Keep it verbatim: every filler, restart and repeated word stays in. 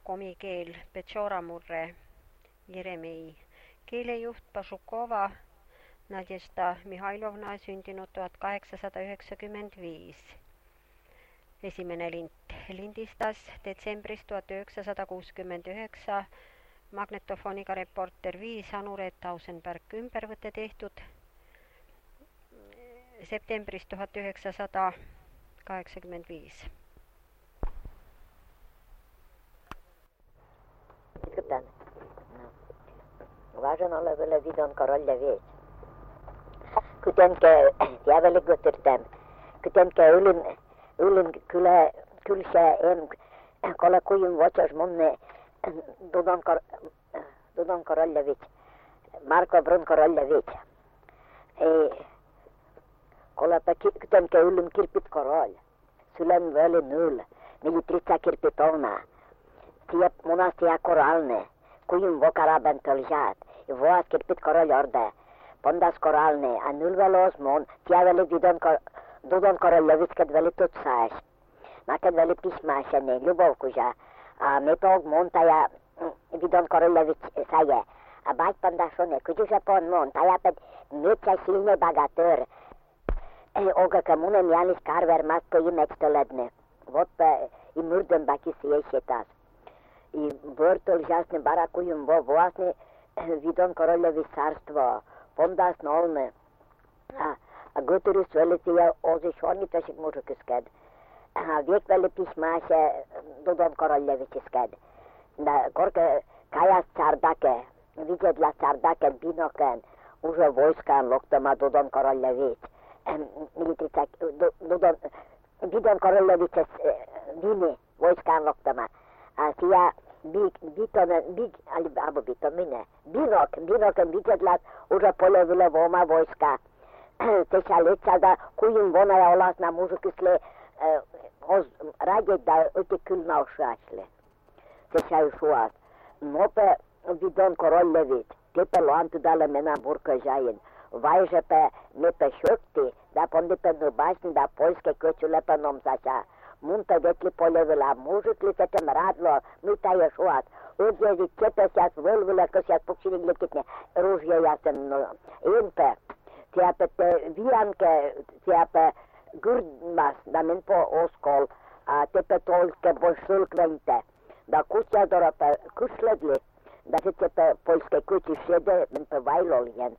komikeel Petšora-Murre Jeremei, keelejuht Pašukova Nadjesta Mihhailovna, sündinud tuhat kaheksasada üheksakümmend viis. Esimene lint lindistas detsembris tuhat üheksasada kuuskümmend üheksa, magnetofoniga Reporter viis, Anu Reet Tausenberg, ümbervõte tehtud septembris tuhat üheksasada kaheksakümmend viis. Kuten, važan oleville vidon korolle vies. Kutenke jäävälle göttertäm, kutenke ylin, ylin kyllä, kyllä en, kolla kujun votsas monne dodon, kor, dodon korolle vies, Marko Brun korolle vies. Kolla kutenke ylin kirpit korolle, sylen völi null, militritsa kirpit ona. Tija munas tija koralne, kujun vo karaben tăljat, voas kirpit korol orde, pondas koralne, a nul velos mon, tija veli vidon kor, dudon koroljovic kad veli tutsaš. Na kad veli pismašene, ljubov kuža, a me tog mon taja vidon koroljovic saje, a bać pondas one, kuđuša pon mon, taja pet meća silne bagatör, e, oga kamunem janis karver mas po imeč toledne, vot pa i murdem baki si ješetas. I vrtol žasne barakujum vo vlastne vidon koroljovi carstvo, pondas nolne. A, a goturu svelitija ozi šornitašik mužukisked. A vijek veli pismaše dodon koroljovičisked. Da korke kajas cardake, vidjedla cardake binoken, uže vojskan loktoma dodon koroljovič. Militrica, dodon, vidon koroljovičes vini vojskan loktoma. A sija big, bitonen, big, ali abo bitomine, binok, binoken vidjedlat uže poljevile voma vojska. Teša leća da kujim vonaja olasna mužukisle eh, oz radje da öti külna ošašle. Teša ju šuas. Nope vidon koroljević, tepe loantu dale mena burka žajin. Vajže pe nepe šokti, da pondipe nubašni da poljske köću lepenom zaša. Munta dekli poljevila, mužukli se tem radlo, mi ta je šuat. Udjezi čepe sjas völvile, ko sjas pukšini glikitne, ružje jasem no. Inpe, tiape te vijanke, tiape gurdmas, da min po oskol, a tepe tolke bolšulkvente, da kusja dorope kušledli, da se tepe poljske kući šede, min pe vajloljen.